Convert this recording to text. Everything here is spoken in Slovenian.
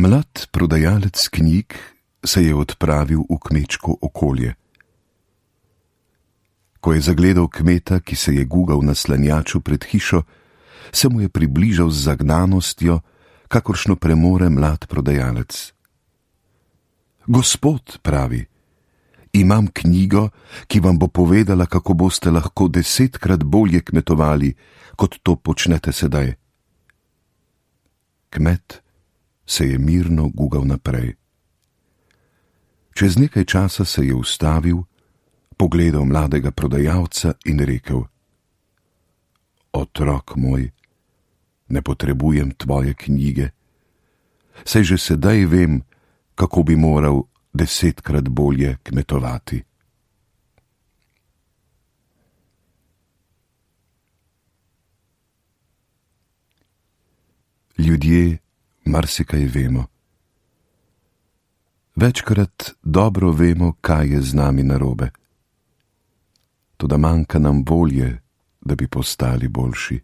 Mlad prodajalec knjig se je odpravil v kmečko okolje. Ko je zagledal kmeta, ki se je gugal na slanjaču pred hišo, se mu je približal z zagnanostjo, kakršno premore mlad prodajalec. Gospod, pravi, imam knjigo, ki vam bo povedala, kako boste lahko 10-krat bolje kmetovali, kot to počnete sedaj. Kmet se je mirno gugal naprej. Čez nekaj časa se je ustavil, pogledal mladega prodajalca in rekel: Otrok moj, ne potrebujem tvoje knjige, saj že sedaj vem, kako bi moral 10-krat bolje kmetovati. Ljudje marsikaj vemo. Večkrat dobro vemo, kaj je z nami narobe. Toda manjka nam volje, da bi postali boljši.